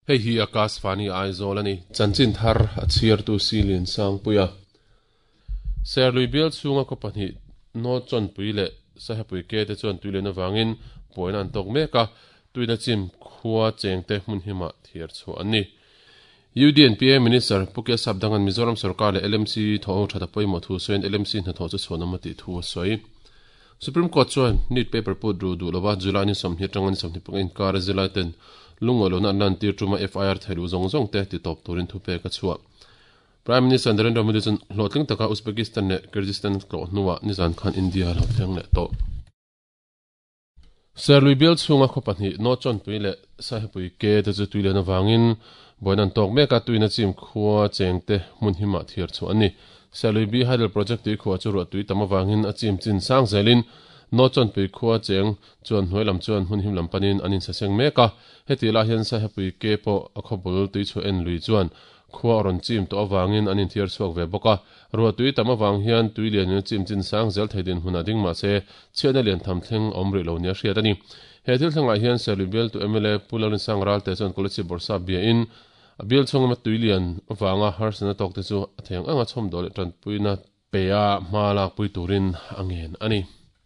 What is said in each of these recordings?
Hei hi Akashvani Aizawl a ni. Chanchin thar a chhiartu Si Liansangpuia. Serlui bial chhunga khaw pahnih Nawchawnpui leh Sahepui ke te chuan tui len avangin buaina an tawk mek a, tuina chim khua chengte hmun himah thiar chhuah an ni. UDNPA Minister Pu Kia Sapdanga'n Mizoram sorkar leh LMC thawhho that a pawimawh thu sawiin LMC hnathawh chu chhuanawm a tih thu a sawi. Supreme Court chuan NEET paper put ru duh lova July ni 20 atanga ni 25 inkara zirlaiten lungawi lohna an lantir tuma FIR theiluh zawng zawng te titawp turin thupek a chhuah. Prime Minister Narendra Modi chuan hlawhtling taka Uzbekistan leh Kyrgyzstan tlawh hnuah nizan khan India a lo thleng leh tawh. Serlui bial chhunga khaw pahnih Nawchawnpui leh Saihapui ke te chu tui len avangin buaina an tawk mek a, tuina chim khua chengte hmun himah thiar chhuah an ni. Serlui bi Hydel Project tui khuah chu ruah tui tam avangin a chim chin sang zelin Nawchawnpui khua cheng chuan hnuai lam chuan hmun him lam panin an insaseng mek a, hetih lai hian Saihapui ke pawh a khaw bul tui chhuah en lui chuan Khua a rawn chim tawh avangin an inthiar chhuak ve bawk a, ruah tui tam avang hian tui lianin a chim chin sang zel thei dinhmun a ding mahse chhiatna lian tham thleng a awm rih lo nia hriat a ni. He thil thlengah hian Serlui bialtu mla Pu Lalrinsang Ralte chuan Kolasib Bawrhsap biain a bial chhung lama tui lian avanga harsatna tawkte chu a theng anga chhawmdawh leh tanpuina Peia hma lakpui turin a ngen a ni.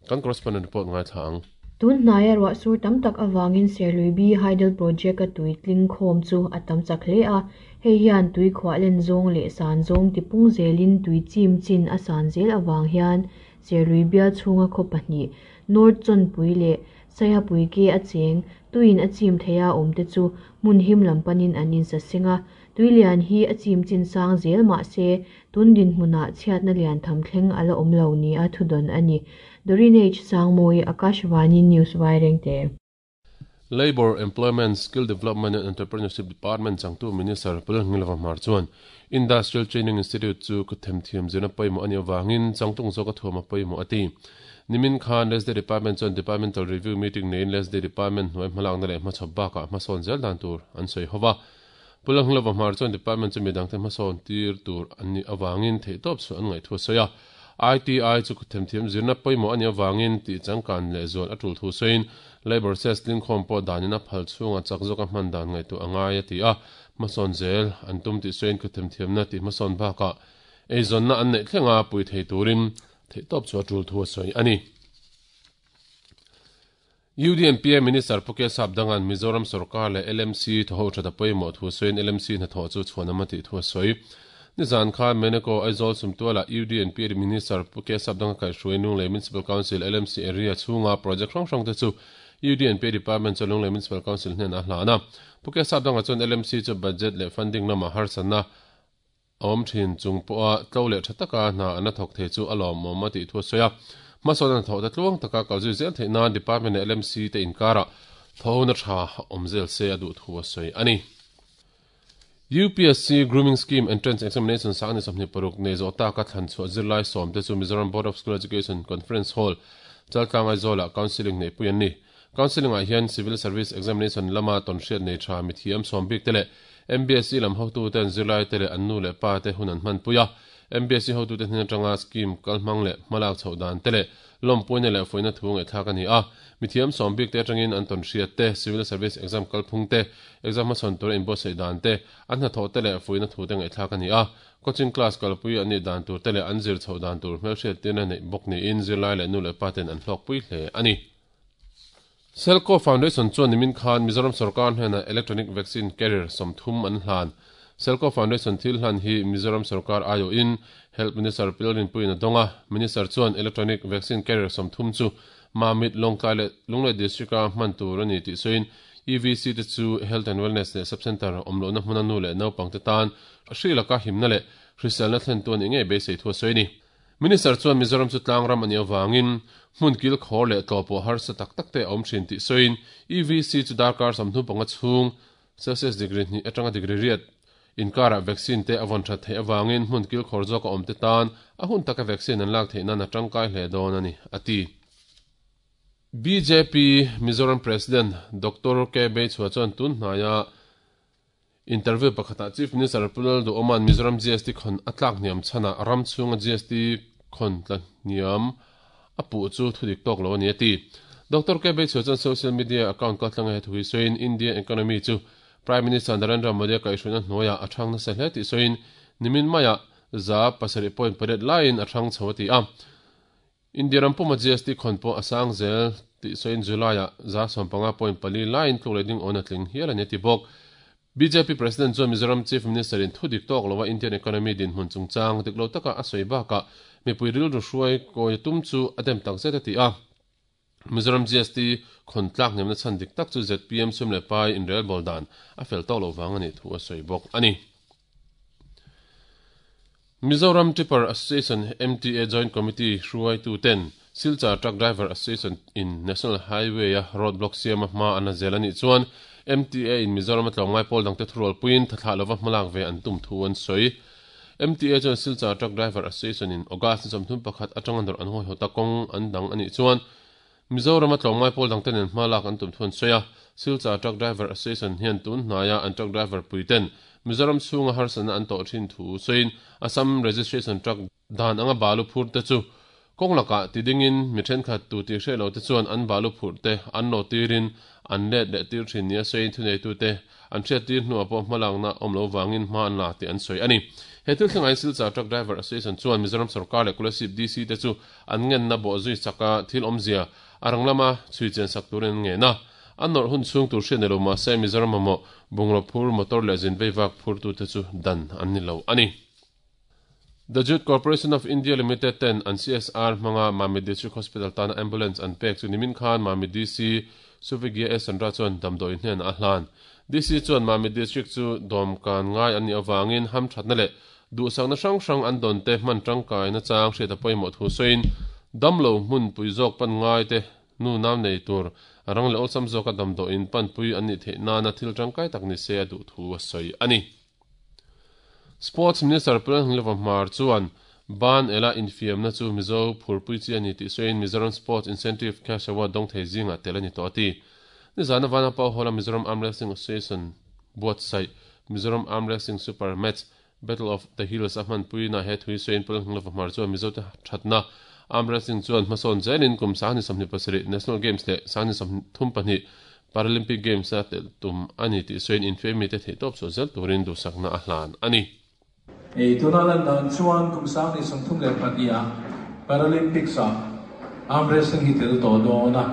Kan correspondent report ngaithla ang. Tun hnaia ruah sur tam tak avangin Serlui B Hydel Project-a tui tling khawm chu a tam chak hle a, hei hian tui khuah len zawng leh san zawng tipung zelin tui chim chin a san zel avang hian Serlui bial chhunga khaw pahnih, North Chawnpui leh Saihapui ke a cheng, tuiin a chim theia awmte chu hmun him lam panin an insaseng a, Tuilian hi a chim chin sang zel mah se, tun dinhmunah chhiatna lian tham thleng a la awm lo nia thudawn a ni. Doreen H. Sangmawi, Akashvani News Vairengte. Labour, Employment, Skill Development and Entrepreneurship Department changtu Minister Pu Lalngilova Hmar chuan Industrial Training Institute chu kutthemthiam zirna pawimawh a nih avangin changtlung zawka thuam a pawimawh a ti. Nimin khan Lesday Department chuan Departmental Review Meeting neiin Lesday Department hnuai hmalakna leh hmachhawp bakah hmasawn zel dan tur an sawi ho va. Pu Langlova Hmar chuan department chu midangte hmasawn tir tur an nih avangin theihtawp chhuah an ngaih thu a sawi a. ITI chu themthiam zirna pawimawh a nih avangin tih changkan lehzual a tul thu sawiin Labour Cess tlingkhawm pawh danin a phal chhunga chak zawka hman dan ngaihtuah a ngai a ti a. Hmasawn zel an tum tih sawiin khuthemthiamna tih hmasawn bakah eizawnna an neih thlenga pui thei turin theihtawp chhuah a tul thu a sawi a ni. UDNPA Minister Pu K Sapdanga'n Mizoram sorkar leh LMC thawho that a pawimawh thu sawiin LMC hnathawh chu chhuanawm a tih thu a sawi. Nizan khan Meneko Aizawl Sumtualah UDNPA Minister Pu K Sapdanga kaihhruai Lunglei Municipal Council, LMC, area chhunga project hrang hrangte chu UDNPA Department chuan Lunglei Municipal Council hnenah a hlan a. Pu K Sapdanga chuan LMC chu budget leh funding lamah harsatna A awm thin chung pawha tlo leh tha taka hna an la thawk thei chu a lawmawm a tih thu a sawi a. Hmasawn a hnathawh te tluang taka kal zui zel theih nan Department leh LMC te inkarah thawhona tha awm zel se a duh thu a sawi a ni. UPSC Grooming Scheme Entrance Examination sang ni 26 nei zawh taka thlan chhuah zirlai sawm te chu Mizoram Board of School Education Conference Hall, Chaltlang Aizawlah Counselling neihpui an ni. Counselling ah hian Civil Service Examination lama tawnhriat nei tha mithiam sawm bik te leh MBSE lam hotuten zirlai te leh an nu leh pa te hun an hmanpui a. MBSE hotute hnen atanga scheme kalhmang leh hmalak chhoh dan te leh lawmpuina leh fuihna thu ngaihthlak a ni a. Mithiam sawm bik te atangin an tawnhriat te, Civil Service Exam kalphung te, exam hmachhawn tura inbuatsaih dan te, an hnathawh te leh fuihna thu te ngaihthlak a ni a. Coaching class kalpui an nih dan tur te leh an zir chhoh dan tur hmelhriattirna neih bawk niin zirlai leh nu leh pa ten an hlawkpui hle a ni. Selco Foundation chuan nimin khan Mizoram sorkar hnenah Electronic Vaccine Carrier 30 an hlan. Selco Foundation thil hlan hi Mizoram sorkar aiawhin Health Minister Pil Rinpuiin a dawng a. Minister chuan Electronic Vaccine Carrier 30 chu Mamit, Lawngtlai leh Lunglei District-a hman tur a ni tih sawiin EVC te chu Health and Wellness leh Sub-Centre awm lohna hmuna nu leh naupangte tan hri laka himna leh hriselna thlentu a nih ngei beisei thu a sawi a ni. Minister chuan Mizoram chu tlangram a nih avangin hmun kil khawr leh tlawh pawh harsa tak tak te a awm thin tih sawiin EVC chu darkar 35 chhung Celsius degree hnih atanga degree riat inkarah vaccine te a vawn that theih avangin hmun kil khawr zawka awm te tan a hun taka vaccine an lak theih nan a tangkai hle dawn a ni, a ti. Bjp Mizoram President Doctor K Beichhua chuan tun hnaia Interview pakhatah Chief Minister Pu Lalduhoma'n Mizoram GST khawn a tlak hniam chhanah ram chhunga GST khawn tla hniam a puh chu thudik tawk lo a ni a ti. Doctor KB Chheu chuan social media account kaltlanga he thu hi sawiin India economy chu Prime Minister Narendra Modi-a kaihhruaina hnuaiah a thang nasa hle tih sawiin nimin maiah 7.8% laiin a thang chho a ti a. India ram puma GST khawn pawh a sang zel tih sawiin July-ah 15.4 laiin tluk leh ding awn a tling hial a ni a ti bawk. Bjp President chuan Mizoram Chief Minister-in thu dik tawk loa Indian economy dinhmun chungchang dik lo taka a sawi bakah mipui rilru hruai kawi tum chu a dem takzet a ti a. Mizoram GST khawn tlak hnemna chhan dik tak chu zpm sum leh pai inrelbawl dan a fel tawk loh vang a nih thu a sawi bawk a ni. Mizoram Tipper Association, MTA, Joint Committee hruaituten Silchar Truck Driver Association in National Highway-a road block siama hma an la zel a nih chuan MTA in Mizoram a tlawmngai pawl dangte thurualpuiin thathlah lova hmalak ve an tum thu an sawi. MTA chuan Silchar Truck Driver Association in August ni 31 atanga nawrh an hawihawta kawng an dang a nih chuan Mizoram a tlawmngai pawl dangte nen hma lak an tum thu an sawi a. Silchar Truck Driver Association hian tun hnaia an truck driver puiten Mizoram chhunga harsatna an tawh thin thu sawiin Assam Registration Truck dan anga balu phur te chu kawng lakah ti dingin mi thenkhat tu tih hreh lo te chuan an balu phurh te an lo tirin an let leh tir thin nia sawiin thuneitute an hriat tir hnuah pawh hmalakna awm lo vangin hma an la tih an sawi a ni. He thil thlengah hian Silchar Truck Driver Association chuan Mizoram sorkar leh Kolasib DC te chu an ngenna bawh zui chaka thil awmzia a rang lama chhui chian sak turin an ngen a. An nawrh hun chhung tur hriat ni lo mahse Mizoram mamawh bungraw phur motor leh zin veivak phurtute chu dan an ni lo a ni. The Jute Corporation of India Limited ten an CSR hmanga Mamit District Hospital tana ambulance an pek chu nimin khan Mamit DC Suvigya S Chandra chuan damdawi hnenah a hlan. DC chuan Mamit District chu dawmkan ngai an nih avangin hamthatna leh duhsakna hrang hrang an dawn te hman tangkaina chang hriat a pawimawh thu sawiin damlo hmunpui zawk pan ngai te nu nau nei tur rang leh awlsam zawka damdawiin panpui an nih theih nana thil tangkai tak ni se a duh thu a sawi a ni. Sports Minister Puleng Hmar chuan Ban ela infiamna chu Mizo phurpui chi a ni tih sawiin Mizoram Sports Incentive Cash Award dawng thei zingah tel a ni tawh a ti. Nizana Vanapa Hall-a Mizoram Arm Wrestling Association buatsaih Mizoram Arm Wrestling Super Match Battle of the Hills a hmanpuina he thui sawiin Puleng Hmar chuan Mizote thatna Arm Wrestling chuan hmasawn zelin kum 2027 National Games leh 2032 Paralympic Games-a telh tum a ni tih sawiin infiamite theihtawp chhuah zel turin duhsakna a hlan a ni. Ei tuna lan dan chuan kum 2032 ah Paralympics-ah arm wrestling hi tel tawh dawn a.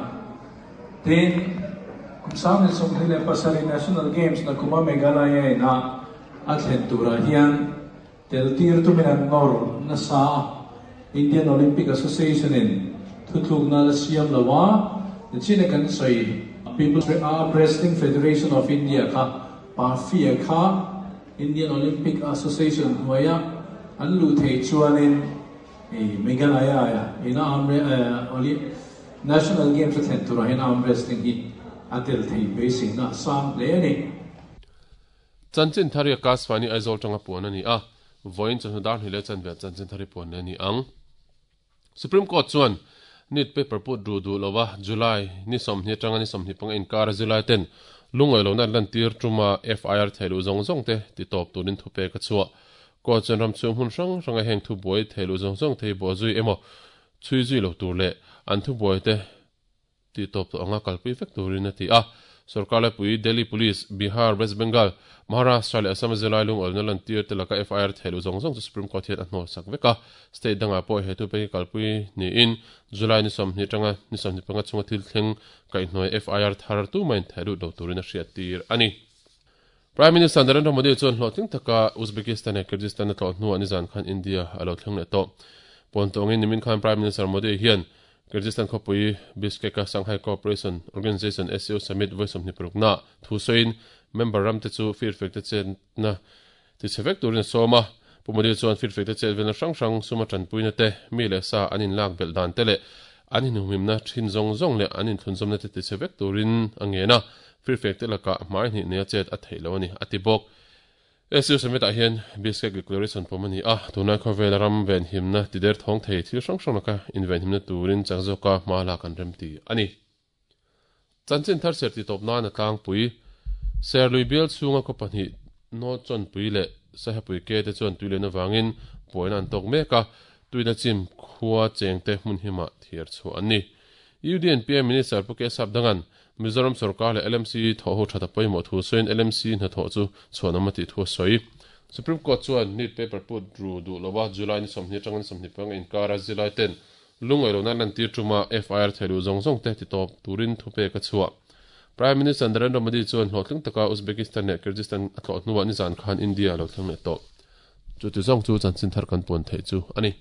Tin, kum 2027 National Games na kuma Meghalaya ina a thlen turah hian tel tir tumin an nawr nasa a. Indian Olympic Association in thutlukna la siam lo a, nichina kan sawi People's Arm Wrestling Federation of India kha PAFIA kha Indian Olympic Association hnuaia an luh theih chuanin Meghalaya ina arm National Games a thlen turah hian arm wrestling hi a tel thei beiseina a sang hle a ni. Chanchin thar hi Akashvani Aizawl tanga puan a ni a, vawiin chawhnu dar hnih leh chanve chanchin thar hi puan leh a ni ang. Supreme Court chuan NEET paper put ru duh lova July ni 20 atanga ni 25 inkara zirlai ten lungawi lohna an lantir tuma FIR theiluh zawng zawng te ti tawp turin thupek a chhuah. Court chuan ram chhung hmun hrang hranga heng thubuai theiluh zawng zawng te hi bawh zui emaw chhui zui lo tur leh an thubuai te tih tawp tawh anga kalpui vek turin a ti a. Sorkar laipui Delhi Police, Bihar, West Bengal, Maharashtra leh Assam a zirlai lungawlna lantir te laka FIR thehluh zawng zawng chu Supreme Court hian a hnawlsak vek a. State dangah pawh he thupek hi kalpui niin July ni 20 atanga ni 25 chhunga thil thleng kaihhnuai FIR thar tumahin thehlut lo turin a hriattir a ni. Prime Minister Narendra Modi chuan hlawhtling taka Uzbekistan leh Kyrgyzstan a tlawh hnuah nizan khan India a lo thleng leh tawh. Puantawngin nimin khan Prime Minister Modi hian Kyrgyzstan khawpui Bishkek-a Shanghai Cooperation Organization, SCO, Summit vawi 26 na thu sawiin member ramte chu firfekte chetna tichhe vek turin a sawm a. Pu Modi chuan firfekte chet velna hrang hrang suma tanpuina te, mi leh sa an inlak belh dan te leh an inhumhimna thin zawng zawng leh an inthlunzawmna te tichhe vek turin a ngen a. Firfekte lakah hmai hnih nia chet a theih lo a ni, a ti bawk. SU Summit-ah hian Bishkek Declaration pawm a ni a, tunlai khawvela ram venhimna ti der thawng thei thil hrang hrang laka invenhimna turin chak zawka hma lak an rem ti a ni. Chanchin thar ser ti tawp nan a tlangpui. Serlui bial chhunga khaw pahnih Nawchawnpui leh Sahepui ke te chuan tui len avangin buaina an tawk mek a. Tuina chim khua chengte hmun hima thiar chu an ni. UDNPA Minister Pu K Sapdangan Mizoram sorkar leh LMC thawhho thata pawimawh thu sawiin LMC hnathawh chu chhuanawm a tih thu a sawi. Supreme Court chuan NEET paper put ru duh lova July ni 20 atanga ni 25 inkara zilai ten lungngaih lohna lantir tuma FIR theiluh zawng zawng te titawp turin thupek a chhuah. Prime Minister Narendra Modi chuan hlawhtling taka Uzbekistan leh Kyrgyzstan a tlawh hnuah nizan khan India a lo thleng leh tawh. Chuti zawng chu chanchin thar kan puan theih chu a ni.